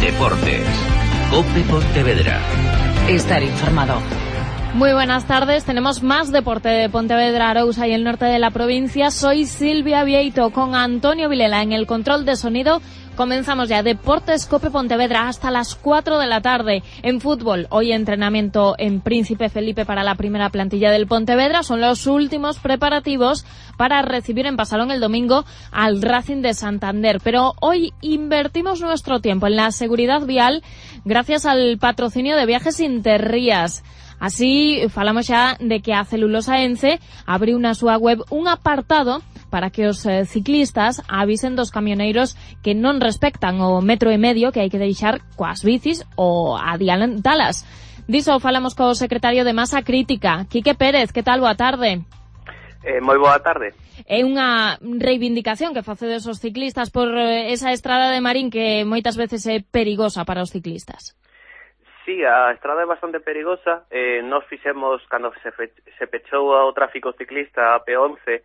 Deportes. COPE Pontevedra. Estar informado. Muy buenas tardes, tenemos más deporte de Pontevedra, Arousa y el norte de la provincia. Soy Silvia Vieito con Antonio Vilela en el control de sonido. Comenzamos ya Deportes COPE Pontevedra hasta las 4 de la tarde. En fútbol, hoy entrenamiento en Príncipe Felipe para la primera plantilla del Pontevedra. Son los últimos preparativos para recibir en Pasalón el domingo al Racing de Santander. Pero hoy invertimos nuestro tiempo en la seguridad vial gracias al patrocinio de Viajes Interrías. Así, falamos xa de que a Celulosa Ence abriu na súa web un apartado para que os ciclistas avisen dos camioneiros que non respectan o 1,5 metro que hai que deixar coas bicis ou adiantalas. Diso falamos co secretario de Masa Crítica, Quique Pérez. Que tal? Boa tarde. Moi boa tarde. É unha reivindicación que facedes os ciclistas por esa estrada de Marín que moitas veces é perigosa para os ciclistas. Sí, a estrada é bastante perigosa. Nos fixemos, cando se pechou o tráfico ciclista a P11,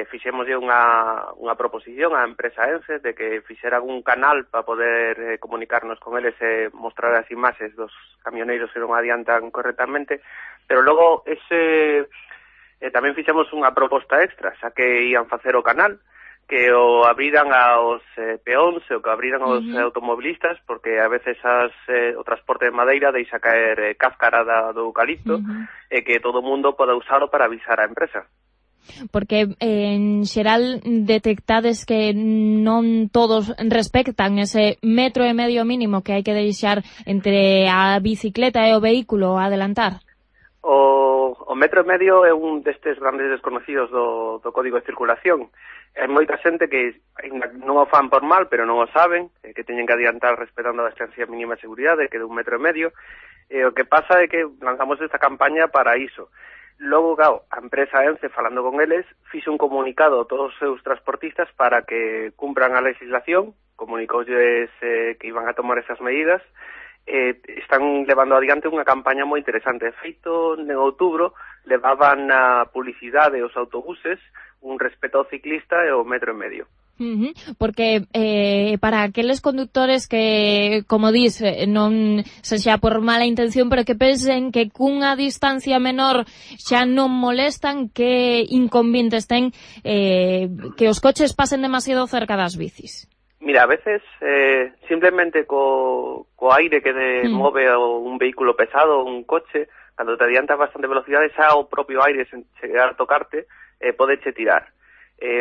fixemos unha proposición á empresa Ence de que fixeran un canal para poder comunicarnos con eles e mostrar as imaxes dos camioneiros que non adiantan correctamente, pero logo tamén fixemos unha proposta extra, xa que ían facer o canal, que o abriran aos peóns ou que abriran aos automobilistas, porque a veces o transporte de madeira deixa caer cáscara do eucalipto e que todo o mundo poda usalo para avisar á empresa. Porque en xeral detectades que non todos respectan ese 1,5 metro mínimo que hai que deixar entre a bicicleta e o vehículo a adelantar. O 1,5 metro é un destes grandes desconocidos do Código de Circulación. Hai moita xente que non o fan por mal, pero non o saben, que teñen que adiantar respetando a distancia mínima de seguridade, que é de 1,5 metro. O que pasa é que lanzamos esta campaña para iso. Logo, claro, a empresa Ence, falando con eles, fixo un comunicado a todos os seus transportistas para que cumpran a legislación, comunicoulles que iban a tomar esas medidas. Están levando adiante unha campaña moi interesante. De feito, en outubro, levaban na publicidade os autobuses un respeto ao ciclista e o 1,5 metro. Porque para aqueles conductores que, como dis, non se xa por mala intención, pero que pensen que cunha distancia menor xa non molestan, que inconvenientes ten que os coches pasen demasiado cerca das bicis. Mira, a veces simplemente co aire que move un vehículo pesado, un coche, cando te adiantas bastante velocidade, xa o propio aire sen chegar a tocarte podeche tirar.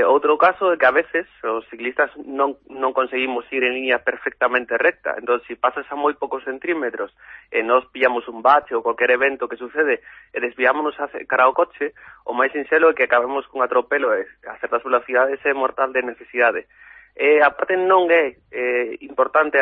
Outro caso é que a veces os ciclistas non conseguimos ir en línea perfectamente recta, entón se pasas a moi poucos centímetros e nos pillamos un bache ou qualquer evento que sucede e desviámonos cara ao coche, o máis sinxelo é que acabemos cun atropelo e a certas velocidades é mortal de necesidade. Aparte non é importante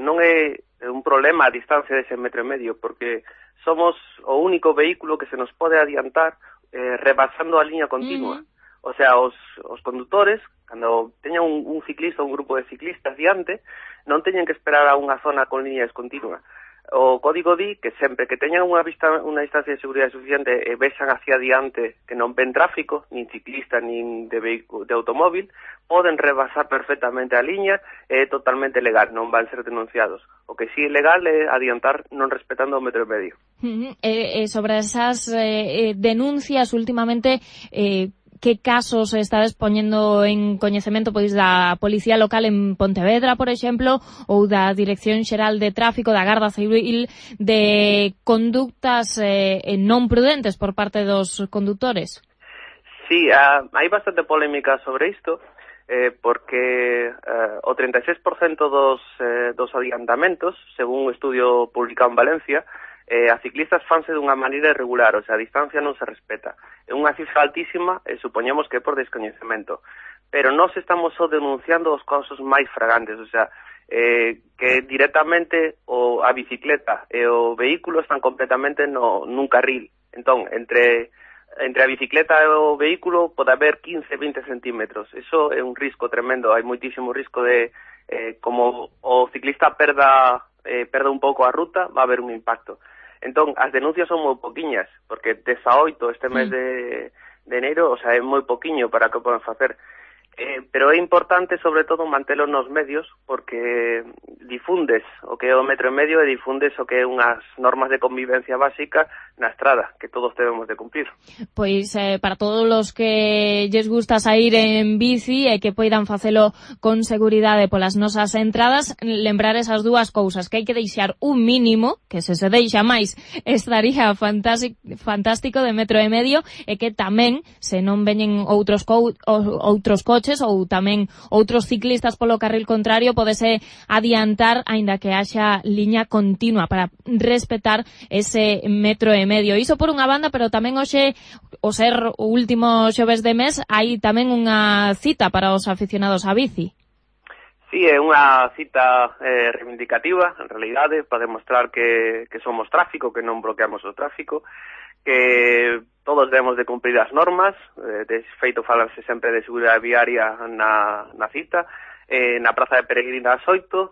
non é un problema a distancia dese 1,5 metro, porque somos o único vehículo que se nos pode adiantar rebasando a liña continua. O sea, os condutores, cando teñan un ciclista ou un grupo de ciclistas diante, non teñen que esperar a unha zona con liña descontinua. O código di que sempre que teñan unha distancia de seguridade suficiente e vexan hacia diante que non ven tráfico, nin ciclista, nin de automóvil, poden rebasar perfectamente a liña, é totalmente legal, non van ser denunciados. O que sí é legal é adiantar non respetando o 1,5 metro. Sobre esas denuncias últimamente, que casos estades poñendo en coñecemento pois da Policía Local en Pontevedra, por exemplo, ou da Dirección Xeral de Tráfico, da Garda Civil, de conductas non prudentes por parte dos condutores? Sí, hai bastante polémica sobre isto, porque o 36% dos adiantamentos, según un estudio publicado en Valencia, a ciclistas fanse dunha maneira irregular, o sea, a distancia non se respeta. É unha cifra altísima e supoñemos que é por descoñecemento. Pero nós estamos só denunciando os casos máis fragantes, o sea, que directamente a bicicleta e o vehículo están completamente nun carril. Entón, entre a bicicleta e o vehículo pode haber 15-20 centímetros. Eso é un risco tremendo, hai moitísimo risco de, como o ciclista perda un pouco a ruta, va a haber un impacto. Entón, as denuncias son moi poquiñas, porque 18 este mes de enero, o sea, é moi poquiño para que poden facer. Pero é importante, sobre todo, mantelo nos medios, porque difundes o que é o metro e medio e difundes o que é unhas normas de convivencia básica na estrada, que todos debemos de cumplir. Pois para todos os que lles gusta sair en bici e que poidan facelo con seguridade polas nosas entradas, lembrar esas dúas cousas, que hai que deixar un mínimo, que se deixa máis estaría fantástico de metro e medio, e que tamén, se non veñen outros coches ou tamén outros ciclistas polo carril contrario, podese adiantar aínda que haxa liña continua para respetar ese metro e medio. Iso por unha banda, pero tamén hoxe, o ser o último xoves de mes, hai tamén unha cita para os aficionados á bici. Sí, é unha cita reivindicativa, en realidade, para demostrar que somos tráfico, que non bloqueamos o tráfico, que todos debemos de cumprir as normas, de feito falarse sempre de seguridade viaria na cita, na Praza de Peregrina ás 8,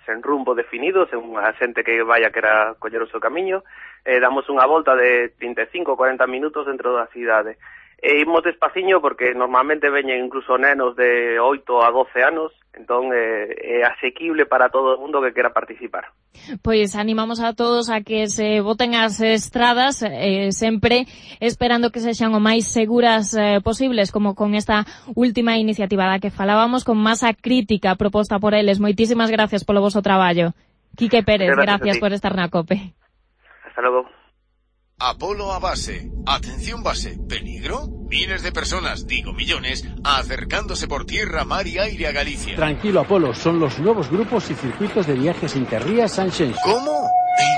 sen rumbo definido, sen unha xente que vaya que era coller o seu camiño, damos unha volta de 35-40 minutos dentro da cidade. Imos despaciño porque normalmente veñen incluso nenos de 8 a 12 anos, entón é asequible para todo o mundo que quera participar. Pois animamos a todos a que se boten as estradas, sempre esperando que sexan o máis seguras posibles, como con esta última iniciativa da que falábamos, con masa crítica proposta por eles. Moitísimas gracias polo voso traballo. Quique Pérez, gracias por estar na COPE. Hasta logo. Apolo a base. Atención base. ¿Peligro? Miles de personas, digo millones, acercándose por tierra, mar y aire a Galicia. Tranquilo, Apolo. Son los nuevos grupos y circuitos de viajes Interrías Sanxenxo. ¿Cómo?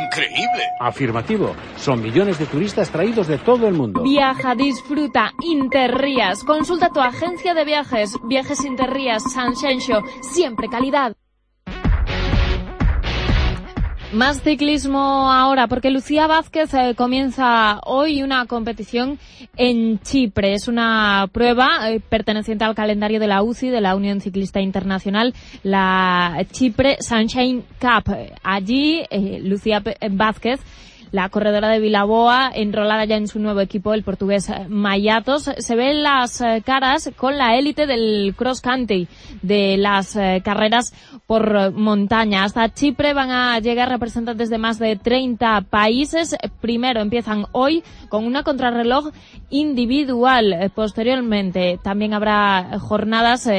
¡Increíble! Afirmativo. Son millones de turistas traídos de todo el mundo. Viaja, disfruta, Interrías. Consulta tu agencia de viajes. Viajes Interrías Sanxenxo. Siempre calidad. Más ciclismo ahora, porque Lucía Vázquez comienza hoy una competición en Chipre. Es una prueba perteneciente al calendario de la UCI, de la Unión Ciclista Internacional, la Chipre Sunshine Cup. Allí, Lucía Vázquez, la corredora de Vilaboa, enrolada ya en su nuevo equipo, el portugués Mayatos, se ven las caras con la élite del cross country, de las carreras por montaña. Hasta Chipre van a llegar representantes de más de 30 países. Primero empiezan hoy con una contrarreloj individual. Posteriormente también habrá jornadas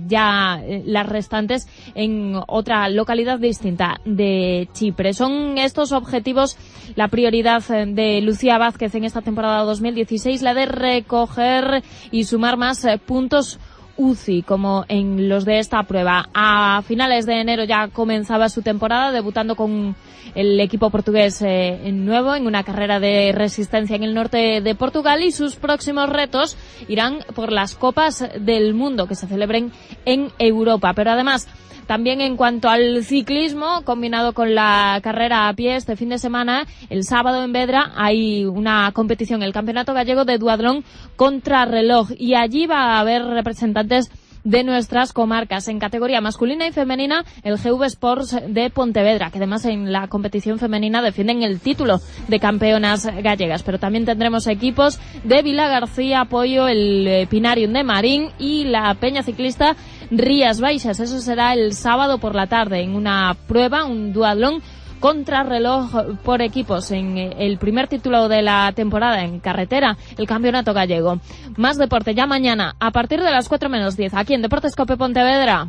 ya las restantes en otra localidad distinta de Chipre. Son estos objetivos la prioridad de Lucía Vázquez en esta temporada 2016, la de recoger y sumar más puntos UCI, como en los de esta prueba. A finales de enero ya comenzaba su temporada, debutando con el equipo portugués nuevo en una carrera de resistencia en el norte de Portugal, y sus próximos retos irán por las Copas del Mundo que se celebren en Europa. Pero además, también en cuanto al ciclismo, combinado con la carrera a pie, este fin de semana, el sábado en Vedra, hay una competición, el Campeonato Gallego de Duatlón Contrarreloj, y allí va a haber representantes de nuestras comarcas. En categoría masculina y femenina, el GV Sports de Pontevedra, que además en la competición femenina defienden el título de campeonas gallegas. Pero también tendremos equipos de Vilagarcía, Apoyo, el Pinarium de Marín y la Peña Ciclista Rías Baixas. Eso será el sábado por la tarde en una prueba, un duatlón contrarreloj por equipos, en el primer título de la temporada en carretera, el Campeonato Gallego. Más deporte ya mañana a partir de las 4:10 aquí en Deportes Cope Pontevedra.